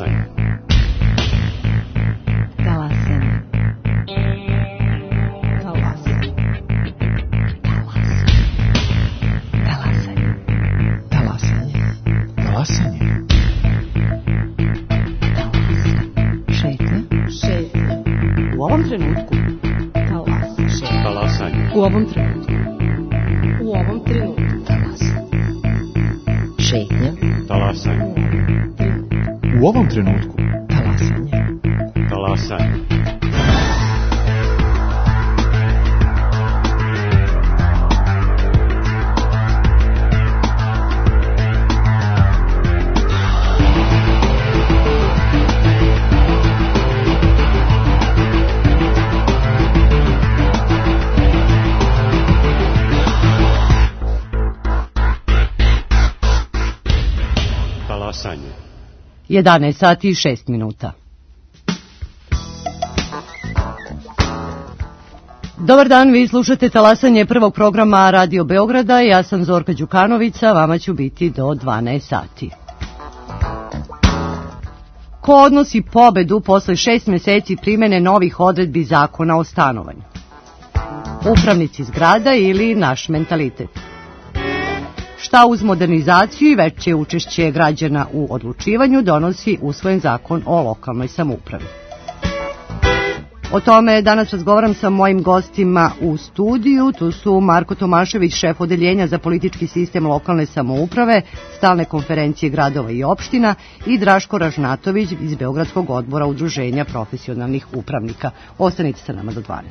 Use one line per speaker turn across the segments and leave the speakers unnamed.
Talasanje.
Talasanje. Talasanje. Talasanje. Talasanje.
Talasanje.
Šetnja. Šetnja. U ovom trenutku.
Talasanje.
U ovom trenutku. U ovom trenutku. Talasanje. Šetnja.
Talasanje.
U ovom trenutku.
Talasanje.
Talasanje. Talasanje.
11 sati i 6 minuta. Dobar dan, vi slušate Talasanje prvog programa Radio Beograda. Ja sam Zorka Đukanovića, vama ću biti do 12 sati. Ko odnosi pobedu posle 6 meseci primene novih odredbi zakona o stanovanju? Upravnici zgrada ili naš mentalitet? Šta uz modernizaciju i veće učešće građana u odlučivanju donosi usvojen zakon o lokalnoj samoupravi? O tome danas razgovaram sa mojim gostima u studiju. Tu su Marko Tomašević, šef odeljenja za politički sistem lokalne samouprave, stalne konferencije gradova i opština, i Draško Ražnatović iz Beogradskog odbora Udruženja profesionalnih upravnika. Ostanite sa nama do 12.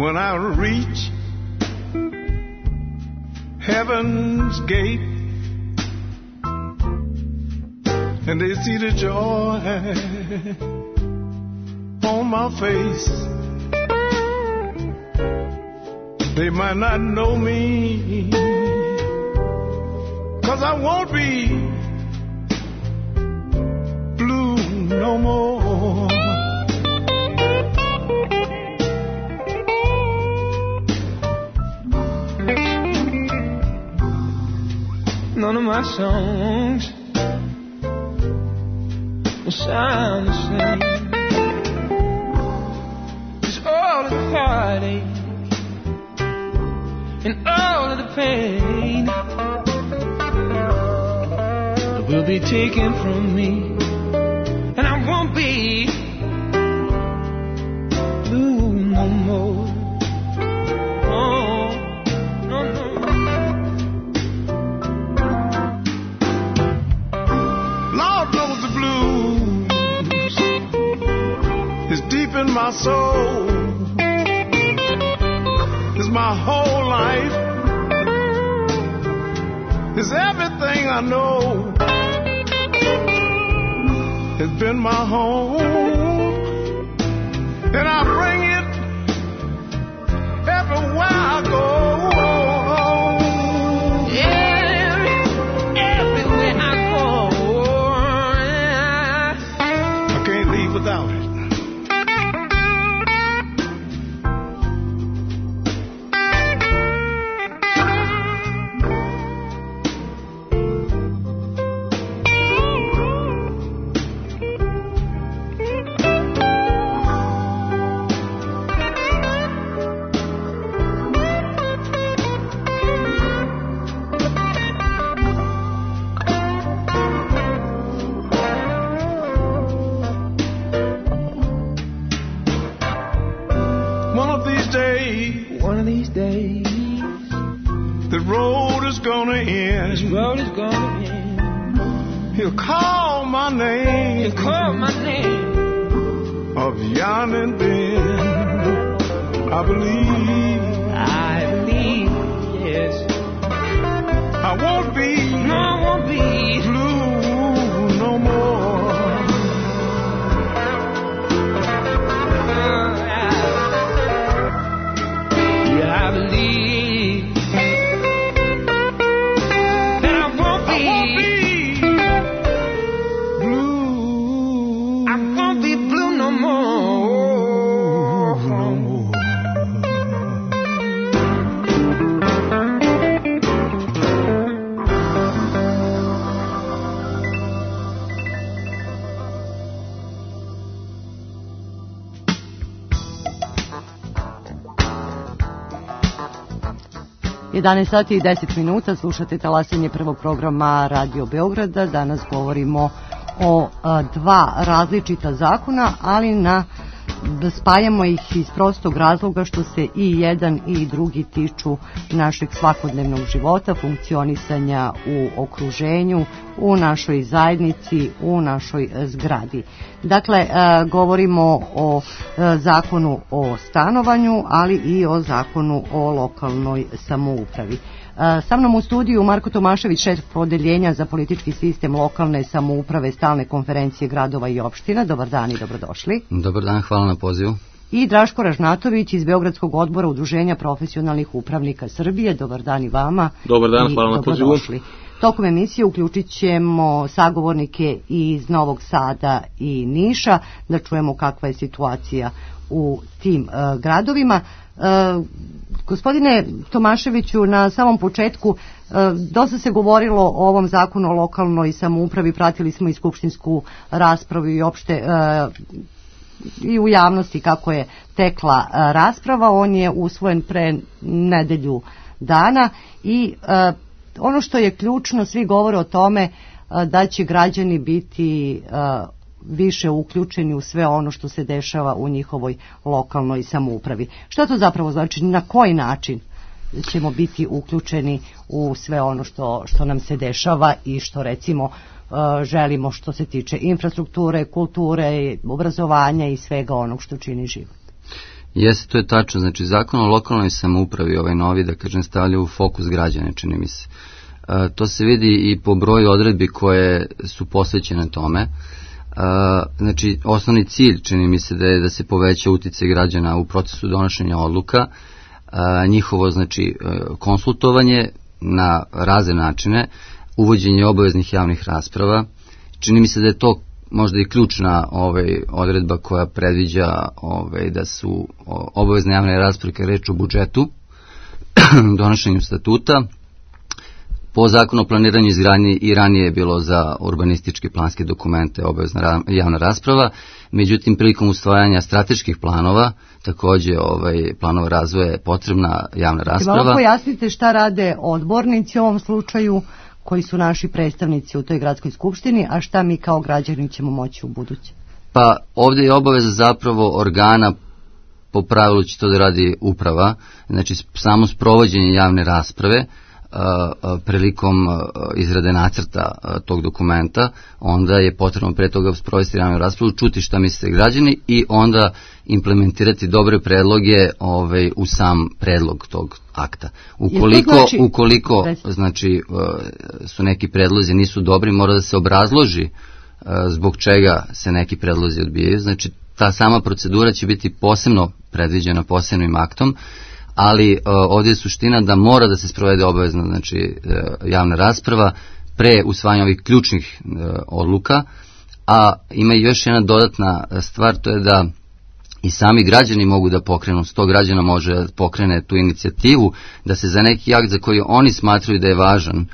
When I reach heaven's gate and they see the joy on my face, they might not know me, 'cause I won't be blue no more. None of my songs will sound the same. It's all of the heartache and all of the pain that will be taken from me, and I won't be blue no more. Oh, no, no. In my soul is my whole life, is everything I know, has been my home, and I bring it everywhere I go. Everywhere I go, I can't leave without it. One of these days, the road is gonna end. This road is gonna end. He'll call my name. He'll call my name. Of Jan and Ben. I believe. Yes. I won't be. No, I won't be blue no more. I believe.
11 sati i 10 minuta, slušate talasanje prvog programa Radio Beograda. Danas govorimo o dva različita zakona, ali spajamo ih iz prostog razloga što se i jedan i drugi tiču našeg svakodnevnog života, funkcionisanja u okruženju, u našoj zajednici, u našoj zgradi. Dakle, govorimo o zakonu o stanovanju, ali i o zakonu o lokalnoj samoupravi. Sa mnom u studiju Marko Tomašević, šef odeljenja za politički sistem lokalne samouprave Stalne konferencije gradova i opština. Dobar dan i dobrodošli.
Dobar dan, hvala na pozivu.
I Draško Ražnatović iz Beogradskog odbora Udruženja profesionalnih upravnika Srbije. Dobar dan i vama.
Dobar dan, hvala na pozivu.
Tokom emisije uključit ćemo sagovornike iz Novog Sada i Niša, da čujemo kakva je situacija u tim gradovima. Gospodine Tomaševiću, na samom početku dosta se govorilo o ovom zakonu o lokalnoj samoupravi, pratili smo i skupštinsku raspravu i opšte i u javnosti kako je tekla rasprava. On je usvojen pre nedelju dana i ono što je ključno, svi govore o tome da će građani biti više uključeni u sve ono što se dešava u njihovoj lokalnoj samoupravi. Šta to zapravo znači? Na koji način ćemo biti uključeni u sve ono što nam se dešava i što recimo želimo što se tiče infrastrukture, kulture, obrazovanja i svega onog što čini život?
Jeste, to je tačno. Znači, zakon o lokalnoj samoupravi, ovaj novi, da kažem, stavlja u fokus građane, čini mi se. To se vidi i po broju odredbi koje su posvećene tome. Znači, osnovni cilj, čini mi se, da je da se poveća uticaj građana u procesu donošenja odluka, njihovo, znači, konsultovanje na razne načine, uvođenje obaveznih javnih rasprava. Čini mi se da je to možda i ključna odredba koja predviđa da su obavezne javne rasprave kad reč o budžetu, donošenju statuta. Po zakonu o planiranju i izgradnji i ranije je bilo za urbanističke planske dokumente obavezna javna rasprava, međutim prilikom usvajanja strateških planova, takođe planova razvoja je potrebna javna rasprava.
Malo pojasnite šta rade odbornici u ovom slučaju, koji su naši predstavnici u toj gradskoj skupštini, a šta mi kao građani ćemo moći u buduće?
Pa ovdje je obaveza zapravo organa, po pravilu će to da radi uprava, znači samo sprovođenje javne rasprave prilikom izrade nacrta tog dokumenta, onda je potrebno pre toga sprovesti javnu raspravu, čuti šta misle građani i onda implementirati dobre predloge u sam predlog tog akta. Ukoliko znači, su neki predlozi nisu dobri, mora da se obrazloži zbog čega se neki predlozi odbijaju. Znači, ta sama procedura će biti posebno predviđena posebnim aktom, ali ovdje je suština da mora da se sprovede obavezna, znači, javna rasprava pre usvajanja ovih ključnih odluka, a ima i još jedna dodatna stvar, to je da i sami građani mogu da pokrenu, 100 građana može da pokrene tu inicijativu, da se za neki akt za koji oni smatraju da je važan,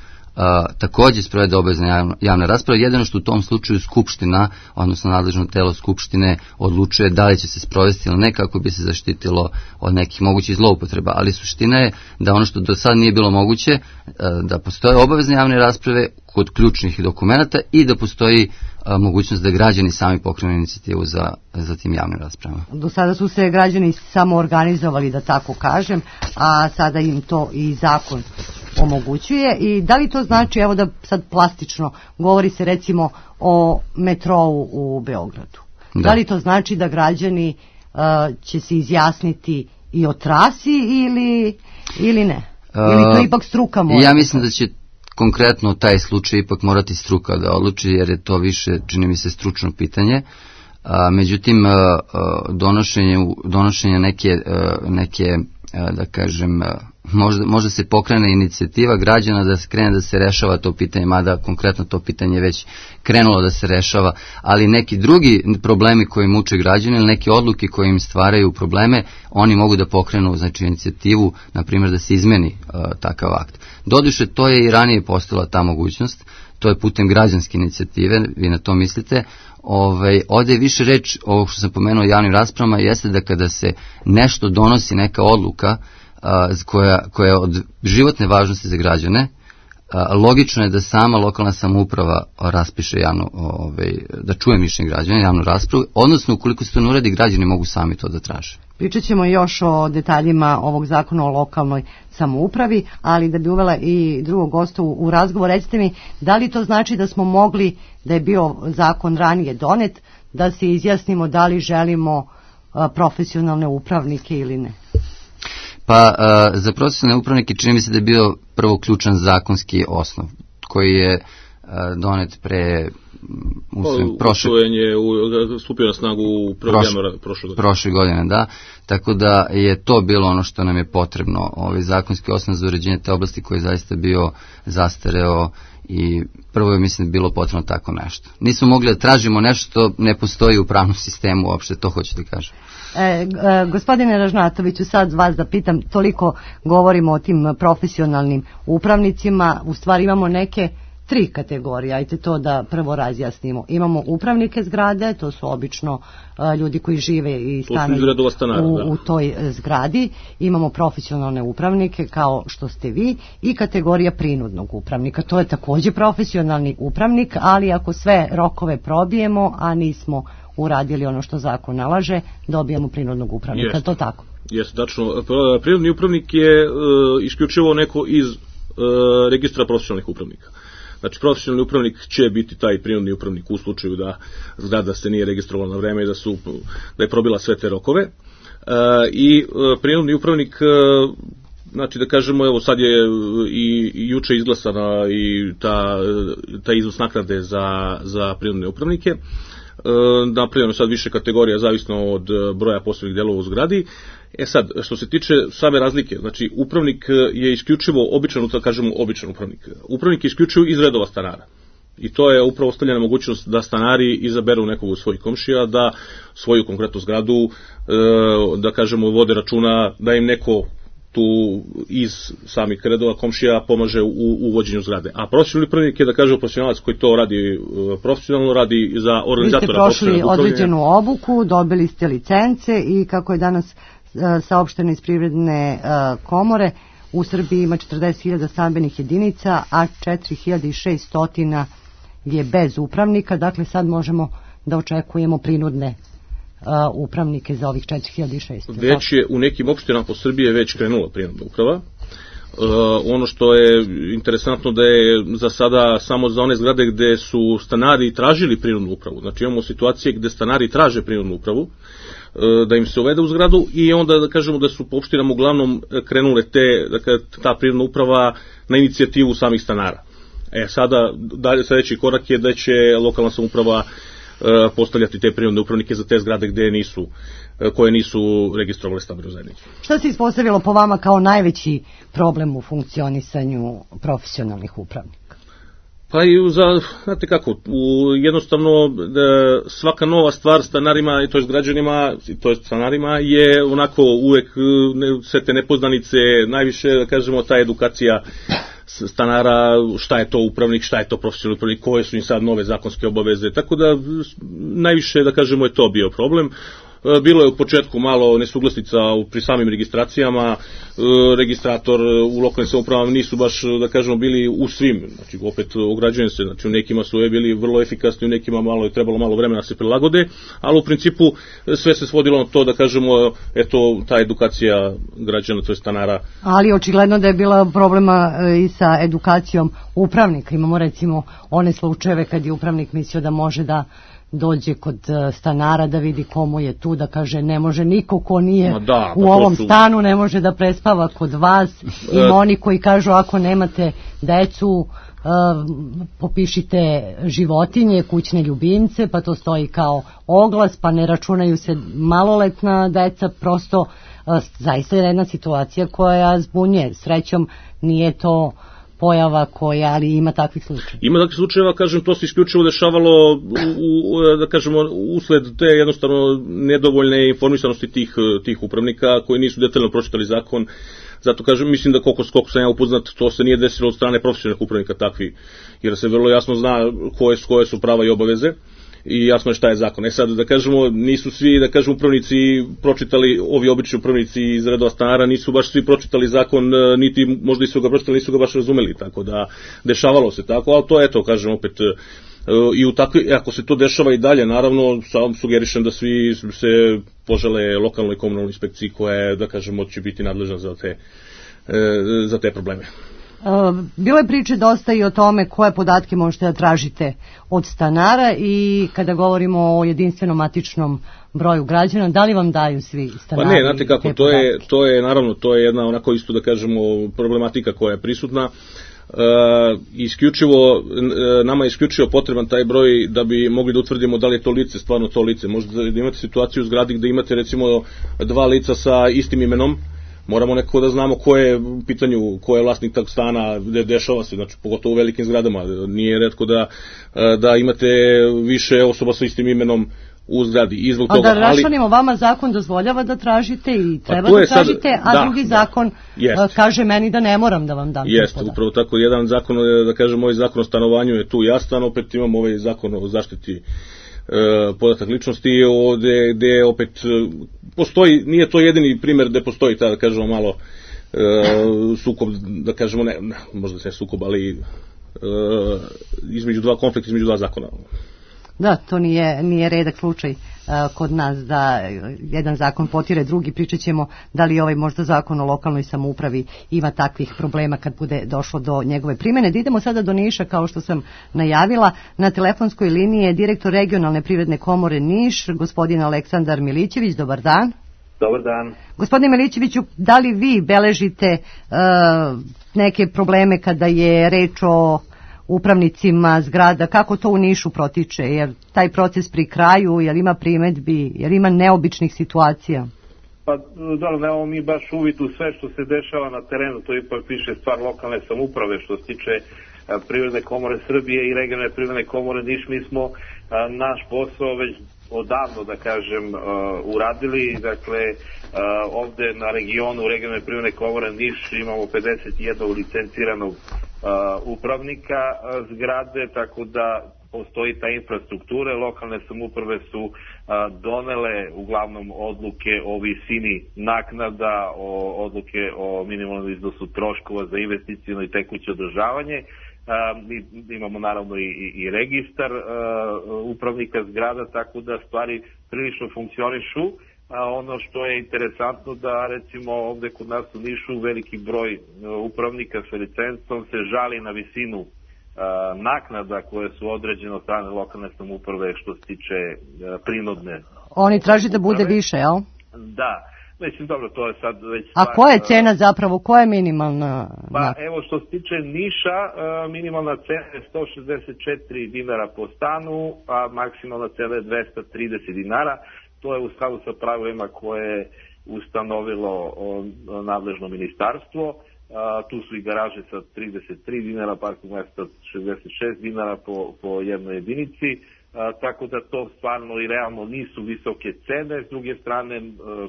također sprovede obavezna javna rasprava, jedino što u tom slučaju Skupština, odnosno nadležno telo Skupštine, odlučuje da li će se sprovesti ili ne, kako bi se zaštitilo od nekih mogućih zloupotreba, ali suština je da ono što do sad nije bilo moguće, da postoje obavezne javne rasprave kod ključnih dokumenta i da postoji mogućnost da građani sami pokrenu inicijativu za tim javnim raspravama.
Do sada su se građani samo organizovali, da tako kažem, a sada im to i zakon omogućuje. I da li to znači, evo da sad plastično, govori se recimo o metrou u Beogradu. Da li to znači da građani će se izjasniti i o trasi ili ne? Ili to ipak struka mora?
Ja mislim da će konkretno taj slučaj ipak morati struka da odluči, jer je to više, čini mi se, stručno pitanje. Međutim, donošenje neke, da kažem, možda se pokrene inicijativa građana da se krene da se rešava to pitanje, mada konkretno to pitanje već krenulo da se rešava, ali neki drugi problemi koji muče građani ili neke odluke koje im stvaraju probleme, oni mogu da pokrenu, znači, inicijativu, na primjer da se izmeni takav akt. Doduše, to je i ranije postala ta mogućnost, to je putem građanske inicijative, vi na to mislite. Ovdje je više reč, ovo što sam pomenuo o javnim raspravama, jeste da kada se nešto donosi, neka odluka, koja je od životne važnosti za građane, logično je da sama lokalna samouprava raspiše da čuje mišljenje građana, javnu raspravu, odnosno ukoliko se to ne uradi, građani mogu sami to da traže.
Pričat ćemo još o detaljima ovog zakona o lokalnoj samoupravi, ali da bi uvela i drugog gosta u razgovor, recite mi, da li to znači da smo mogli, da je bio zakon ranije donet, da se izjasnimo da li želimo profesionalne upravnike ili ne?
Pa za profesionalne upravnike čini mi se da je bio prvo ključan zakonski osnov koji je donet pre
stupio na snagu u
prošle godine, da, tako da je to bilo ono što nam je potrebno, zakonski osnov za uređenje te oblasti koji je zaista bio zastareo i prvo je, mislim, bilo potrebno tako nešto. Nismo mogli da tražimo nešto što ne postoji u pravnom sistemu, uopšte to hoću da kažem.
Gospodine Ražnatoviću, sad vas da pitam, toliko govorimo o tim profesionalnim upravnicima, u stvari imamo neke 3 kategorije, ajte to da prvo razjasnimo. Imamo upravnike zgrade, to su obično ljudi koji žive i stanuju u toj zgradi. Imamo profesionalne upravnike kao što ste vi i kategorija prinudnog upravnika. To je također profesionalni upravnik, ali ako sve rokove probijemo, a nismo uradili ono što zakon nalaže, dobijamo prinudnog upravnika. To tako?
Jeste, tačno. Prinudni upravnik je isključivo neko iz registra profesionalnih upravnika. Znači, profesionalni upravnik će biti taj prinudni upravnik u slučaju da zgrada se nije registrovala na vreme i da je probila sve te rokove. I prinudni upravnik, znači da kažemo, evo sad je i juče izglasana i ta iznos naknade za prinudne upravnike. Napravljeno sad više kategorija zavisno od broja poslovnih delova u zgradi. Sad, što se tiče same razlike, znači upravnik je isključivo običan upravnik. Upravnik je isključivo iz redova stanara. I to je upravo ostavljena mogućnost da stanari izaberu nekog od svojih komšija, da svoju konkretnu zgradu, da kažemo, vode računa, da im neko tu iz samih redova komšija pomaže u uvođenju zgrade. A profesionalni upravnik je, da kažemo, profesionalac koji to radi profesionalno, radi za organizatora.
Vi ste prošli određenu obuku, dobili ste licence i kako je danas saopšteno iz Privredne komore, u Srbiji ima 40.000 stambenih jedinica, a 4.600 je bez upravnika, dakle sad možemo da očekujemo prinudne upravnike za ovih 4.600.
Već je u nekim opštinama po Srbiji već krenula prinudna uprava. Ono što je interesantno da je za sada samo za one zgrade gde su stanari tražili prinudnu upravu. Znači imamo situacije gde stanari traže prinudnu upravu, da im se uvede u zgradu i onda da kažemo da su po opštinama uglavnom krenule ta prinudna uprava na inicijativu samih stanara. Sada sledeći korak je da će lokalna samouprava postavljati te prinudne upravnike za te zgrade koje nisu registrovale stambenu zajednicu.
Šta se ispostavilo po vama kao najveći problem u funkcionisanju profesionalnih upravnika?
Pa i znate kako, jednostavno svaka nova stvar stanarima, to jest građanima, to jest stanarima je onako uvek sve te nepoznanice, najviše da kažemo ta edukacija stanara, šta je to upravnik, šta je to profesionalni upravnik, koje su im sad nove zakonske obaveze, tako da najviše da kažemo je to bio problem. Bilo je u početku malo nesuglasnica pri samim registracijama, registrator u lokalnim samoupravama nisu baš, da kažemo, bili u svim, znači opet ograđujem se, znači u nekima su bili vrlo efikasni, u nekima je trebalo malo vremena da se prilagode, ali u principu sve se svodilo na to, da kažemo, eto, ta edukacija građana, to je stanara. Ali
očigledno da je bila problema i sa edukacijom upravnika. Imamo recimo one slučajeve kad je upravnik mislio da može da dođe kod stanara da vidi komu je tu, da kaže ne može niko ko nije u ovom stanu, ne može da prespava kod vas. Ima oni koji kažu ako nemate decu, popišite životinje, kućne ljubimce, pa to stoji kao oglas, pa ne računaju se maloletna deca, prosto zaista je jedna situacija koja zbunjuje. Srećom nije to pojava koja, ali ima takvih slučajeva.
Ima takvih slučajeva, kažem, to se isključivo dešavalo da kažemo, usled te jednostavno nedovoljne informisanosti tih upravnika koji nisu detaljno pročitali zakon. Zato kažem, mislim da koliko sam ja upoznat, to se nije desilo od strane profesionalnih upravnika takvi, jer se vrlo jasno zna koje su prava i obaveze. i jasno je šta je zakon. Sad da kažemo, nisu svi, da kažemo, upravnici pročitali, ovi obični upravnici iz redova stanara, nisu baš svi pročitali zakon, niti možda i su ga pročitali, nisu ga baš razumeli, tako da dešavalo se tako, ali to eto, kažem opet, i ako se to dešava i dalje, naravno, sam sugerišem da svi se požele lokalnoj i komunalnoj inspekciji koja je, da kažemo, će biti nadležna za te probleme.
Bilo je priče dosta i o tome koje podatke možete da tražite od stanara i kada govorimo o jedinstvenom matičnom broju građana, da li vam daju svi stanari?
Pa ne, znate kako, to je naravno, to je jedna onako isto da kažemo problematika koja je prisutna. Nama je isključivo potreban taj broj da bi mogli da utvrdimo da li je to lice stvarno to lice. Možda da imate situaciju u zgradi gde imate recimo 2 lica sa istim imenom, moramo nekako da znamo ko je u pitanju, ko je vlasnik tog stana, gde dešava se, znači pogotovo u velikim zgradama. Nije retko da imate više osoba sa istim imenom u zgradi. I zbog toga,
da raščlanimo, vama zakon dozvoljava da tražite i treba da tražite, drugi zakon kaže meni da ne moram da vam dam.
Jeste, upravo tako. Jedan zakon, da kažem, ovaj zakon o stanovanju je tu jastan, opet imamo ovaj zakon o zaštiti podatak ličnosti, gde opet postoji, nije to jedini primer gde postoji ta, da kažemo, malo sukob, da kažemo, ne, možda se sukob, ali konflikt između dva zakona.
Da, to nije redak slučaj kod nas da jedan zakon potire drugi. Pričat ćemo da li ovaj možda zakon o lokalnoj samoupravi ima takvih problema kad bude došlo do njegove primjene. Da idemo sada do Niša, kao što sam najavila. Na telefonskoj liniji je direktor regionalne privredne komore Niš, gospodin Aleksandar Milićević. Dobar dan.
Dobar dan.
Gospodine Milićeviću, da li vi beležite neke probleme kada je reč o upravnicima zgrada, kako to u Nišu protiče, jer taj proces pri kraju, jer ima primedbi, jer ima neobičnih situacija?
Pa dobro, nemamo mi baš uvid u sve što se dešava na terenu, to ipak piše stvar lokalne samouprave. Što se tiče Privredne komore Srbije i regionalne privredne komore Niš, mi smo naš posao već odavno, da kažem, uradili. Dakle, ovde na regionu regionalne privredne komore Niš imamo 51 licenciranog upravnika zgrade, tako da postoji ta infrastruktura. Lokalne samouprave su donele uglavnom odluke o visini naknada, odluke o minimalnom iznosu troškova za investiciono i tekuće održavanje. Imamo naravno i registar upravnika zgrada, tako da stvari prilično funkcionišu. Ono što je interesantno da recimo ovde kod nas u Nišu veliki broj upravnika sa licencom se žali na visinu naknada koje su određene od strane lokalne samouprave što se tiče prinudne.
Oni traži da bude više, jel?
Da. Mislim, dobro, to je sad već...
A koja je cena zapravo, koja je minimalna?
Pa evo, što se tiče Niša, minimalna cena je 164 dinara po stanu, a maksimalna cena je 230 dinara. To je u skladu sa pravilima koje je ustanovilo nadležno ministarstvo. Tu su i garaže sa 33 dinara, parking mesta 66 dinara po jednoj jedinici. Tako da to stvarno i realno nisu visoke cene. S druge strane,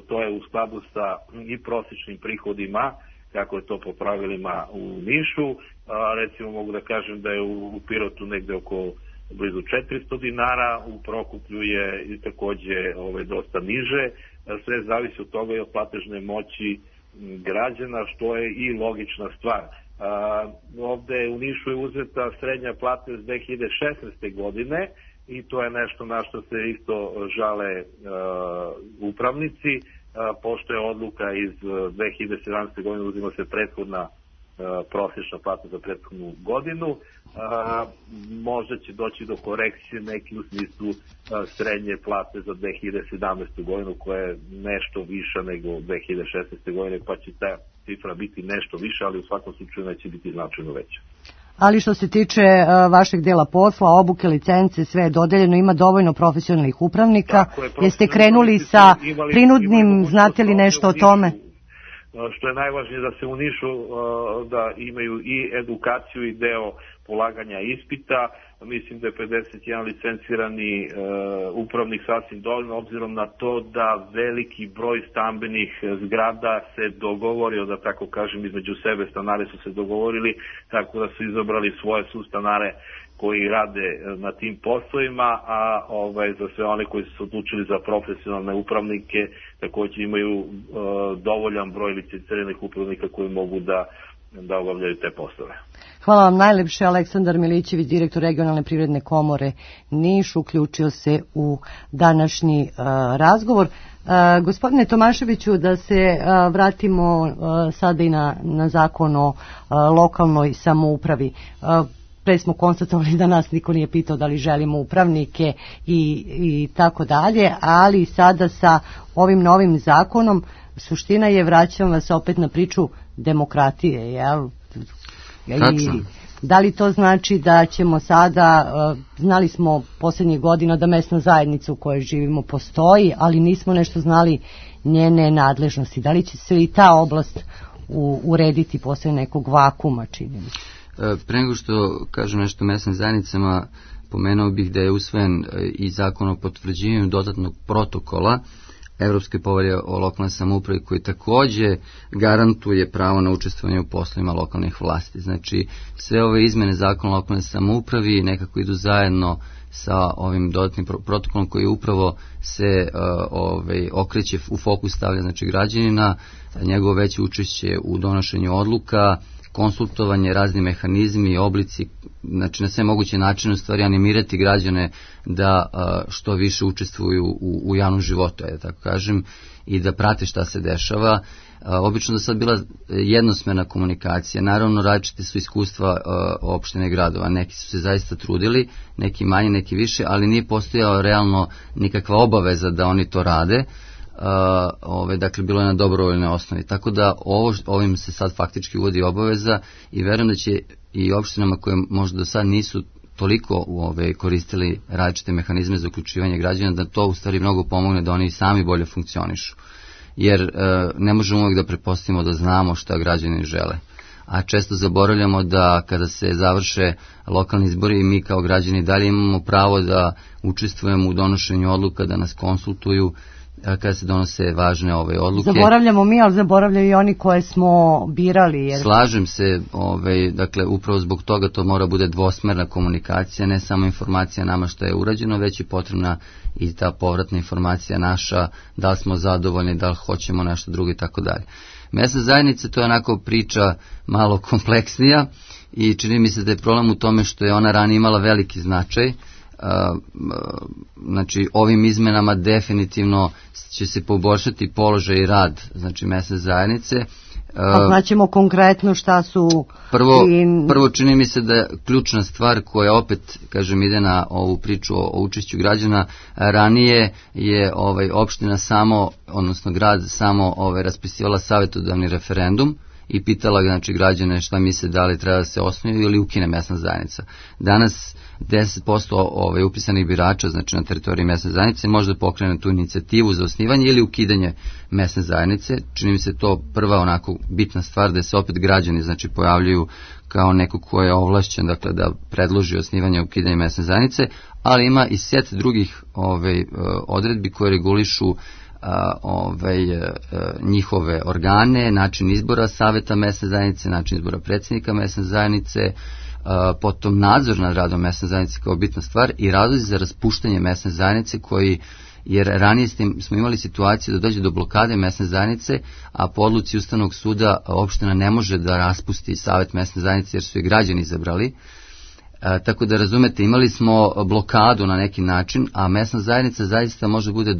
to je u skladu sa i prosječnim prihodima, kako je to po pravilima u Nišu. Recimo mogu da kažem da je u Pirotu negde oko blizu 400 dinara, u Prokuplju je i takođe dosta niže. Sve zavisi od toga i od platežne moći građana, što je i logična stvar. Ovde u Nišu je uzeta srednja plata iz 2016. godine i to je nešto na što se isto žale upravnici. Pošto je odluka iz 2017. godine, uzima se prethodna prosječna plata za prethodnu godinu, možda će doći do korekcije neki u smislu srednje plate za 2017. godinu koja je nešto viša nego 2016. godine, pa će ta cifra biti nešto više, ali u svakom slučaju neće biti značajno veća.
Ali što se tiče vašeg dela posla, obuke, licence, sve je dodeljeno, ima dovoljno profesionalnih upravnika. Jeste krenuli sa prinudnim, znate li nešto o tome?
Što je najvažnije da se u Nišu da imaju i edukaciju i deo polaganja ispita. Mislim da je 51 licencirani upravnik sasvim dovoljno, obzirom na to da veliki broj stambenih zgrada se dogovorio, da tako kažem, između sebe. Stanari su se dogovorili tako da su izabrali svoje sustanare koji rade na tim poslovima, a za sve one koji su se odlučili za profesionalne upravnike takođe imaju dovoljan broj licenciranih upravnika koji mogu da obavljaju te poslove.
Hvala vam najlepše. Aleksandar Milićević, direktor Regionalne privredne komore Niš, uključio se u današnji razgovor. Gospodine Tomaševiću, da se vratimo sada i na zakon o lokalnoj samoupravi. Pre smo konstatovali da nas niko nije pitao da li želimo upravnike i tako dalje, ali sada sa ovim novim zakonom suština je, vraćam vas opet na priču demokratije, jel? I da li to znači da ćemo sada, znali smo posljednjih godina da mesna zajednica u kojoj živimo postoji, ali nismo nešto znali njene nadležnosti. Da li će se i ta oblast urediti posle nekog vakuma, čini mi se?
Pre nego što kažem nešto o mesnim zajednicama, pomenuo bih da je usvojen i zakon o potvrđivanju dodatnog protokola Evropske povelje o lokalnoj samoupravi, koji takođe garantuje pravo na učestvovanje u poslovima lokalnih vlasti. Znači, sve ove izmene zakona o lokalnoj samoupravi nekako idu zajedno sa ovim dodatnim protokolom koji upravo se okreće u fokus, stavlja znači građanina, njegovo veće učešće u donošenju odluka, konsultovanje, razni mehanizmi i oblici, znači na sve moguće načine u stvari animirati građane da što više učestvuju u javnom životu, tako kažem, i da prate šta se dešava. Obično da sad bila jednosmerna komunikacija, naravno različite su iskustva opštine gradova, neki su se zaista trudili, neki manje, neki više, ali nije postojao realno nikakva obaveza da oni to rade. Dakle bilo je na dobrovoljnoj osnovi, tako da ovim se sad faktički uvodi obaveza i verujem da će i opštinama koje možda do sad nisu toliko koristili različite mehanizme za uključivanje građana, da to u stvari mnogo pomogne da oni sami bolje funkcionišu, jer ne možemo uvijek da pretpostavimo da znamo šta građani žele, a često zaboravljamo da kada se završe lokalni izbori mi kao građani dalje imamo pravo da učestvujemo u donošenju odluka, da nas konsultuju kada se donose važne odluke. Zaboravljamo
mi, ali zaboravljaju i oni koje smo birali. Jer...
Slažem se, dakle, upravo zbog toga to mora bude dvosmerna komunikacija, ne samo informacija nama što je urađeno, već je potrebna i ta povratna informacija naša, da li smo zadovoljni, da li hoćemo nešto drugo i tako dalje. Mesna zajednica, to je onako priča malo kompleksnija i čini mi se da je problem u tome što je ona ranije imala veliki značaj. Znači ovim izmenama definitivno će se poboljšati položaj i rad znači mesne zajednice.
Znaćemo konkretno šta su...
Prvo čini mi se da ključna stvar koja opet, kažem, ide na ovu priču o učešću građana, ranije je opština samo, odnosno grad samo raspisivala savjetodavni referendum i pitala znači građane šta misle da li treba da se osnuje ili ukine mesna zajednica. Danas 10% upisanih birača, znači na teritoriji mesne zajednice, može da pokrene tu inicijativu za osnivanje ili ukidanje mesne zajednice. Čini mi se to prva onako bitna stvar, da se opet građani znači pojavljuju kao neko ko je ovlašćen, dakle, da predloži osnivanje i ukidanje mesne zajednice, ali ima i set drugih odredbi koje regulišu njihove organe, način izbora saveta mesne zajednice, način izbora predsjednika mesne zajednice, potom nadzor nad radom mesne zajednice kao bitna stvar i razlozi za raspuštanje mesne zajednice jer ranije smo imali situaciju da dođe do blokade mesne zajednice, a po odluci Ustavnog suda opština ne može da raspusti savet mesne zajednice jer su je građani izabrali. Tako da razumete, imali smo blokadu na neki način, a mesna zajednica zaista može bude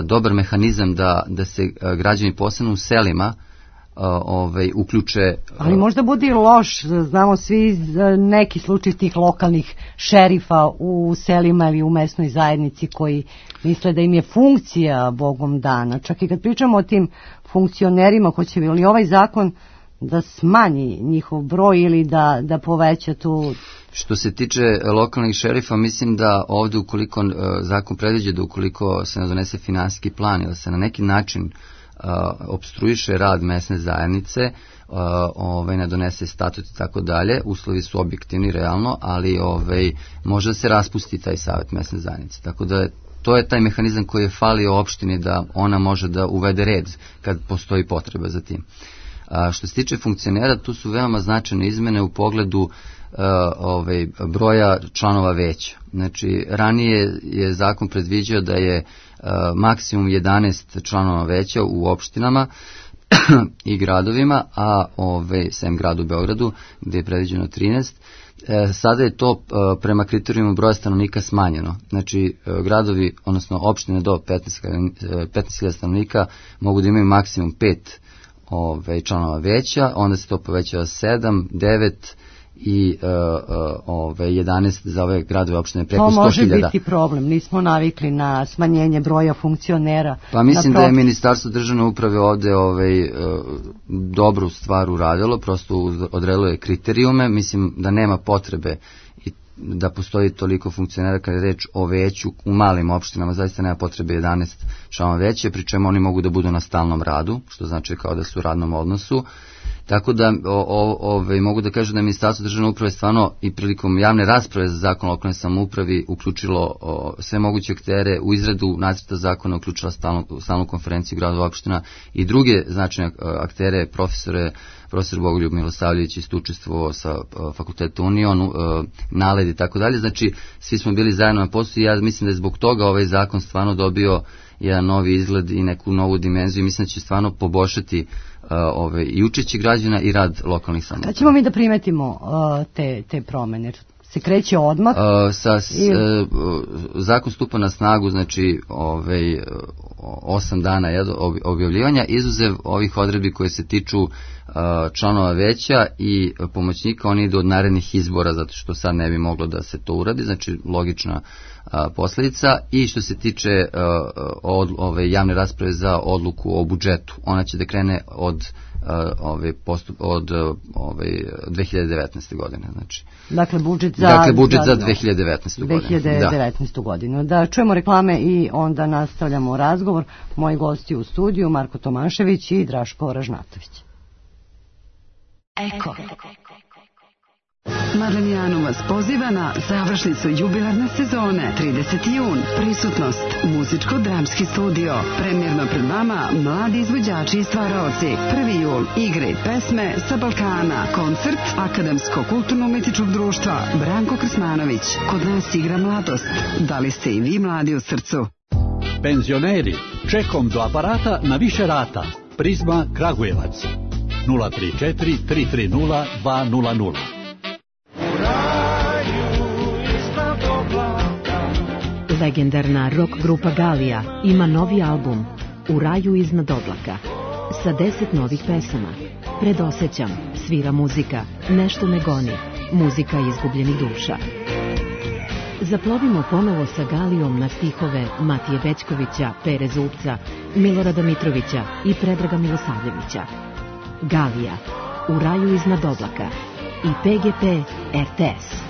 dobar mehanizam da se građani posebno u selima uključe.
Ali možda bude i loš, znamo svi neki slučaj tih lokalnih šerifa u selima ili u mesnoj zajednici koji misle da im je funkcija Bogom dana. Čak i kad pričamo o tim funkcionerima, hoće li ovaj zakon da smanji njihov broj ili da poveća tu...
Što se tiče lokalnih šerifa, mislim da ovde ukoliko zakon predviđa da ukoliko se ne donese finansijski plan ili se na neki način opstruiše rad mesne zajednice, ne donese statut i tako dalje, uslovi su objektivni realno, ali može da se raspusti taj savet mesne zajednice. Tako da to je taj mehanizam koji je falio opštini da ona može da uvede red kad postoji potreba za tim. Što se tiče funkcionera, tu su veoma značajne izmene u pogledu broja članova veća. Znači, ranije je zakon predviđao da je maksimum 11 članova veća u opštinama i gradovima, a sem gradu Beogradu, gde je predviđeno 13. Sada je to prema kriterijumu broja stanovnika smanjeno. Znači, gradovi, odnosno opštine do 15.000 stanovnika mogu da imaju maksimum 5 članova veća, onda se to povećava 7, 9 i 11 za ove gradove opštine preko 100.000.
To može biti problem, nismo navikli na smanjenje broja funkcionera.
Pa mislim da je Ministarstvo državne uprave ovde dobru stvar uradilo, prosto odredilo je kriterijume, mislim da nema potrebe da postoji toliko funkcionera kada je reč o veću u malim opštinama, zaista nema potrebe 11 članova veće, pri čemu oni mogu da budu na stalnom radu, što znači kao da su u radnom odnosu. Tako da mogu da kažem da je Ministarstvo državne uprave stvarno i prilikom javne rasprave za zakon o lokalnoj samoupravi uključilo sve moguće aktere u izradu nacrta zakona, uključila stalnu konferenciju gradova opština i druge značajne aktere, profesor Bogoljub Milosavljević isto učestvovao sa fakulteta Union, NALED i tako dalje. Znači, svi smo bili zajedno na poslu i ja mislim da je zbog toga ovaj zakon stvarno dobio jedan novi izgled i neku novu dimenziju. Mislim da će stvarno poboljšati i učešće građana i rad lokalnih samouprava.
Kad ćemo mi da primetimo te promene? Se kreće odmah?
Zakon stupa na snagu, znači 8 dana objavljivanja, izuzev ovih odredbi koje se tiču članova veća i pomoćnika, oni idu od narednih izbora, zato što sad ne bi moglo da se to uradi, znači logična posledica. I što se tiče javne rasprave za odluku o budžetu, ona će da krene od 2019. godine. Znači.
Dakle, budžet za
2019. godinu.
2019. godinu. Da čujemo reklame i onda nastavljamo razgovor. Moji gosti u studiju, Marko Tomašević i Draško Ražnatović.
Eko. Marlenijanu vas poziva na završnicu jubilarne sezone 30. jun. Prisutnost muzičko-dramski studio. Premjerno pred vama mladi izvođači i stvaraoci. 1. jul igre pesme sa Balkana. Koncert Akademsko-kulturno-umetičkog društva Branko Krsmanović. Kod nas igra mladost. Da li ste i vi mladi u srcu?
Penzioneri, čekom do aparata na više rata. Prizma Kragujevac 034 330 200.
Legendarna rock grupa Galija ima novi album U raju iznad oblaka sa 10 novih pesama. Predosećam, svira muzika, nešto me goni, muzika izgubljenih duša. Zaplovimo ponovo sa Galijom na stihove Matije Bećkovića, Pere Zupca, Milorada Mitrovića i Predraga Milosavljevića. Galija, U raju iznad oblaka i PGP RTS.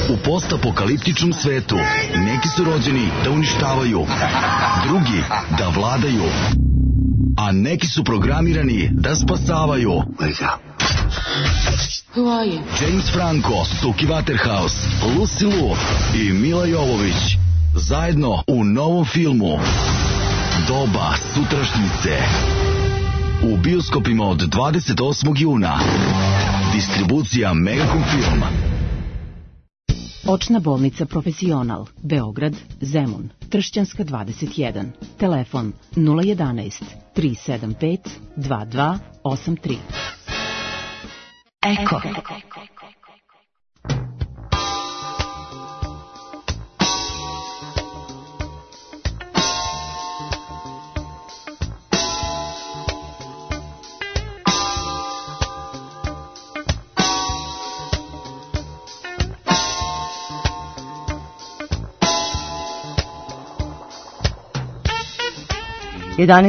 U postapokaliptičnom svetu neki su rođeni da uništavaju, drugi da vladaju, a neki su programirani da spasavaju. James Franco, Stuki Waterhouse, Lucy Liu i Mila Jovović zajedno u novom filmu Doba sutrašnjice. U bioskopima od 28. juna. Distribucija Megacom Film.
Očna bolnica Profesional, Beograd, Zemun, Tršćanska 21. Telefon 011 375 2283.
Eko.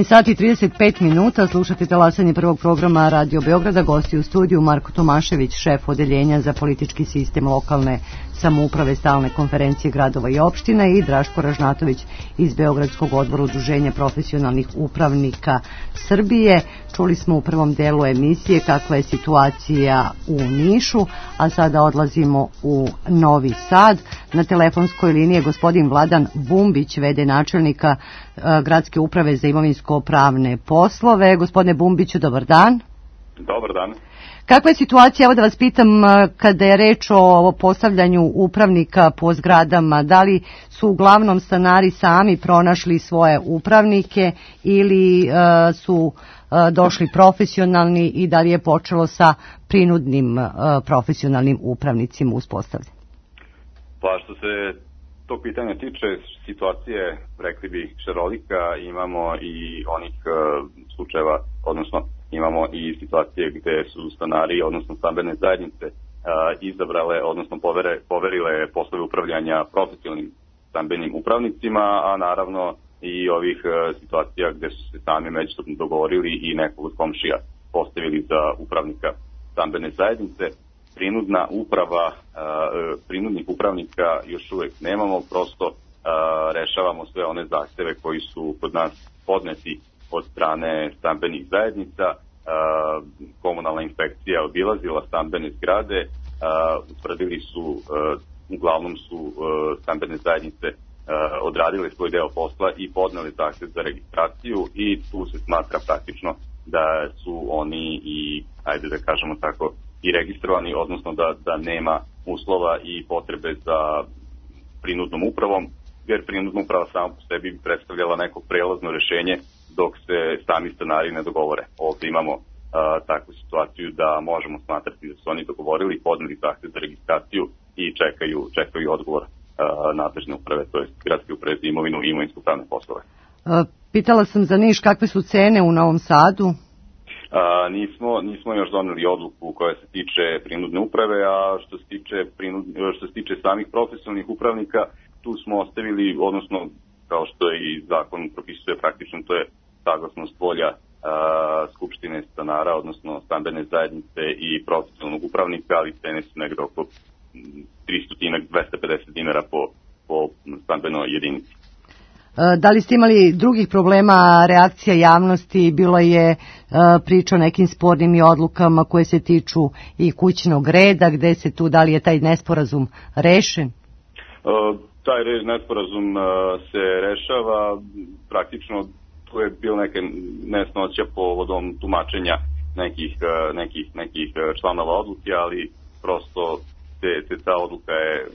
sati 35 minuta, slušate talasanje prvog programa Radio Beograda, gosti u studiju Marko Tomašević, šef odeljenja za politički sistem lokalne samouprave Stalne konferencije gradova i opština i Draško Ražnatović iz Beogradskog odbora Udruženja profesionalnih upravnika Srbije. Čuli smo u prvom delu emisije kakva je situacija u Nišu, a sada odlazimo u Novi Sad. Na telefonskoj liniji je gospodin Vladan Bumbić, v.d. načelnika Gradske uprave za imovinsko-pravne poslove. Gospodine Bumbiću, dobar dan.
Dobar dan.
Kakva je situacija, evo da vas pitam, kada je reč o postavljanju upravnika po zgradama, da li su uglavnom stanari sami pronašli svoje upravnike ili su došli profesionalni i da li je počelo sa prinudnim profesionalnim upravnicima uspostavljanja?
Pa što se tog pitanja tiče, situacije, rekli bi, šarolika, imamo i onih slučajeva, odnosno imamo i situacije gde su stanari, odnosno stambene zajednice izabrale, odnosno poverile poslove upravljanja profesionalnim stambenim upravnicima, a naravno i ovih situacija gde su se sami međusobno dogovorili i nekog od komšija postavili za upravnika stambene zajednice. Prinudna uprava, prinudnih upravnika još uvek nemamo, prosto rešavamo sve one zahteve koji su kod nas podneti od strane stambenih zajednica. Komunalna inspekcija obilazila stambene zgrade, utvrdili su, uglavnom su stambene zajednice odradile svoj deo posla i podneli zahtev za registraciju i tu se smatra praktično da su oni i, ajde da kažemo tako, i registrovani, odnosno da nema uslova i potrebe za prinudnom upravom, jer prinudna uprava sama po sebi bi predstavljala neko prelazno rešenje dok se sami stanari ne dogovore. Ovdje imamo takvu situaciju da možemo smatrati da su oni dogovorili, podneli zahtev za registraciju i čekaju odgovor nadležne uprave, to je Gradske uprave za imovinu i imovinsko-pravne poslove.
Pitala sam za Niš, kakve su cene u Novom Sadu?
Nismo još doneli odluku koja se tiče prinudne uprave, a što se tiče samih profesionalnih upravnika, tu smo ostavili, odnosno kao što i zakon propisuje, praktično to je saglasnost volja Skupštine stanara, odnosno stambene zajednice i profesionalnog upravnika, ali cene su negde oko 300-250 dinara po stambenoj jedinici.
Da li ste imali drugih problema, reakcija javnosti, bilo je priča o nekim spornim i odlukama koje se tiču i kućnog reda, gde se tu, da li je taj nesporazum rešen?
Taj nesporazum se rešava, praktično tu je bilo neke nesnoća povodom tumačenja nekih članova odluke, ali prosto ta odluka je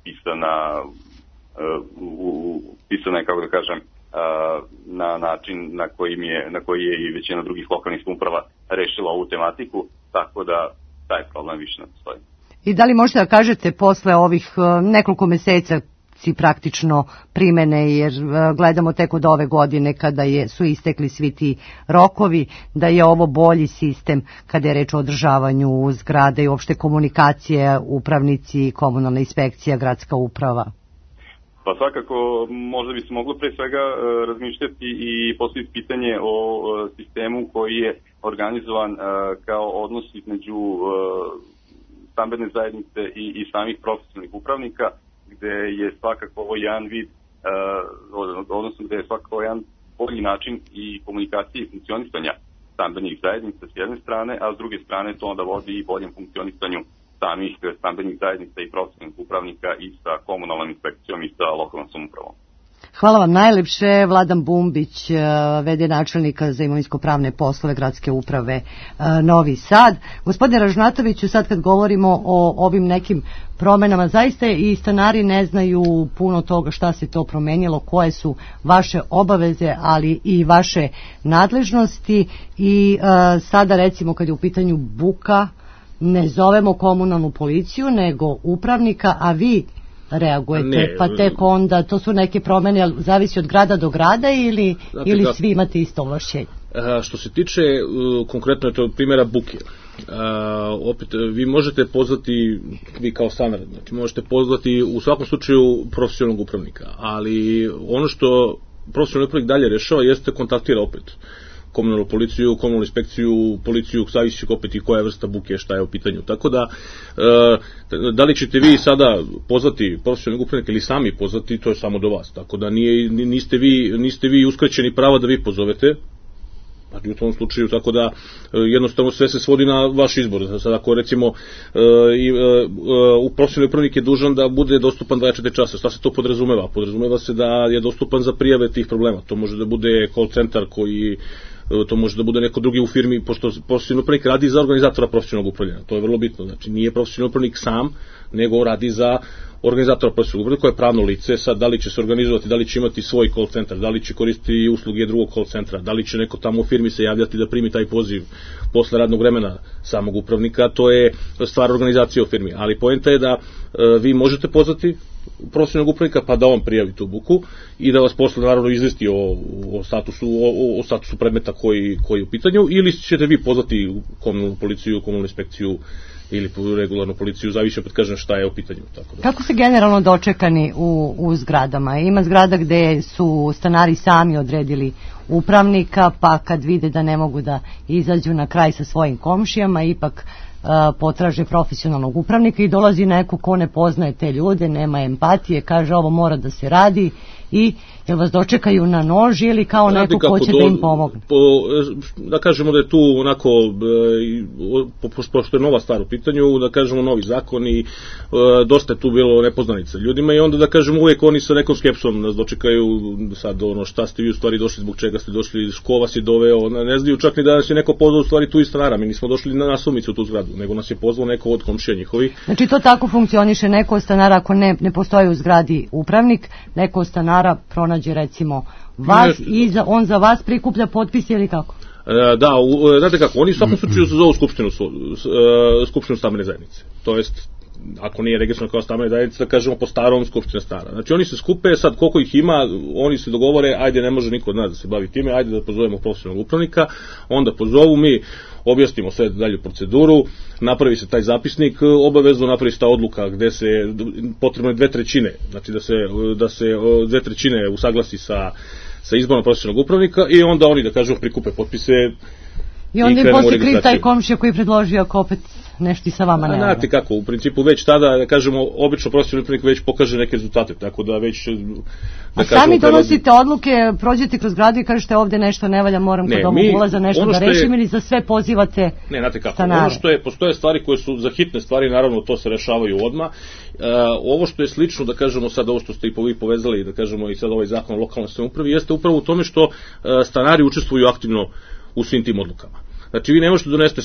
pisana je, kako da kažem, na način na koji je i većina drugih lokalnih samouprava rešila ovu tematiku, tako da taj problem više ne postoji.
I da li možete da kažete posle ovih nekoliko meseca praktično primene, jer gledamo tek od ove godine kada su istekli svi ti rokovi, da je ovo bolji sistem kada je reč o održavanju zgrade i uopšte komunikacije, upravnici, komunalna inspekcija, gradska uprava?
Pa svakako, možda bi se moglo pre svega razmišljati i postaviti pitanje o sistemu koji je organizovan kao odnos između stambene zajednice i samih profesionalnih upravnika, gde je svakako ovo jedan vid, odnosno gde je svakako jedan bolji način i komunikacije i funkcionisanja stambenih zajednica s jedne strane, a s druge strane to onda vodi i boljem funkcionisanju samih stambenih zajednica i profesionalnih upravnika i sa komunalnom inspekcijom i sa lokalnom samoupravom.
Hvala vam najlepše. Vladan Bumbić, v.d. načelnika za imovinsko-pravne poslove Gradske uprave Novi Sad. Gospodine Ražnatoviću, sad kad govorimo o ovim nekim promenama, zaista i stanari ne znaju puno toga šta se to promenilo, koje su vaše obaveze, ali i vaše nadležnosti i sada recimo kad je u pitanju buka, ne zovemo komunalnu policiju, nego upravnika, a vi reagujete, pa tek onda, to su neke promene, zavisi od grada do grada ili svi imate isto ovlašćenje?
Što se tiče, konkretno je to primjera buke, opet vi možete pozvati, vi kao stanar, znači možete pozvati u svakom slučaju profesionalnog upravnika, ali ono što profesionalni upravnik dalje rešava jeste kontaktira opet komunalnu policiju, komunalnu inspekciju, policiju, zavisi opet i koja vrsta buke, šta je u pitanju. Tako da, da li ćete vi sada pozvati profesionalnog upravnika ili sami pozvati, to je samo do vas. Tako da niste vi uskraćeni prava da vi pozovete, u tom slučaju, tako da jednostavno sve se svodi na vaš izbor. Sad ako recimo profesionalni upravnik je dužan da bude dostupan 24 časa, šta se to podrazumeva? Podrazumeva se da je dostupan za prijave tih problema. To može da bude call centar to može da bude neko drugi u firmi, pošto profesionalni upravnik radi za organizatora profesionalnog upravljanja. To je vrlo bitno. Znači nije profesionalni upravnik sam, nego radi za organizatora profesionalnog upravljanja koje je pravno lice. Sad da li će se organizovati, da li će imati svoj call centar, da li će koristiti usluge drugog call centra, da li će neko tamo u firmi se javljati da primi taj poziv posle radnog vremena samog upravnika, to je stvar organizacije u firmi. Ali poenta je da vi možete pozvati profesionalnog upravnika pa da on prijavi tu buku i da vas posle naravno izvesti o statusu predmeta koji je u pitanju, ili ćete vi pozvati komunalnu policiju, komunalnu inspekciju ili regularnu policiju, zavisi opet kažem šta je u pitanju. Tako da.
Kako se generalno dočekani u zgradama? Ima zgrada gde su stanari sami odredili upravnika, pa kad vide da ne mogu da izađu na kraj sa svojim komšijama, ipak potraže profesionalnog upravnika i dolazi neko ko ne poznaje te ljude, nema empatije, kaže ovo mora da se radi i jel vas dočekaju na nož ili kao neko ko će da im pomogne?
Da kažemo da je tu onako, pošto je nova stvar u pitanju, da kažemo novi zakon i dosta je tu bilo nepoznanica ljudima i onda da kažemo uvijek oni sa nekom skepsom nas dočekaju, sad ono šta ste vi u stvari došli, zbog čega ste došli, ko vas je doveo, ne znaju čak ni da nas je neko pozvao u stvari tu iz stanara, mi nismo došli na nasumicu u tu zgradu, nego nas je pozvao neko od komšija njihovih.
Znači to tako funkcioniše, neko od stanara ako ne postoji u zgradi upravnik, neko od stanara pronađe recimo vas i on za vas prikuplja potpise ili kako?
Da, znate kako, oni u svakom slučaju se zovu skupštinu stambene zajednice, to jest ako nije registrovano kao stambena zajednica, da kažemo po starom skupština stara. Znači oni se skupe, sad koliko ih ima, oni se dogovore, ajde ne može niko od nas da se bavi time, ajde da pozovemo profesionalnog upravnika, onda pozovu, mi objasnimo sve dalju proceduru, napravi se taj zapisnik, obavezno napravi se ta odluka gde se potrebno je 2/3, znači da se 2/3 usaglasi sa izborom profesionalnog upravnika i onda oni da kažemo prikupe potpise.
I onda je posle kriv taj komšija koji je predložio ako opet nešto i sa vama nema.
Znate kako, u principu već tada, da kažemo, obično profesionalni upravnik već pokaže neke rezultate, tako da već...
A sami donosite odluke, prođete kroz gradu i kažete ovde nešto ne valja, moram kod ovog ulaza nešto da rešim ili za sve pozivate stanare?
Ne, znate kako, ono što je, postoje stvari koje su za hitne stvari, naravno to se rešavaju odmah. Ovo što je slično, da kažemo sad ovo što ste i vi povezali, da kažemo i sad ovaj zakon o lokalnoj samoupravi, jeste upravo u tome što stanari učestvuju aktivno u svim tim odlukama. Znači vi ne možete donesti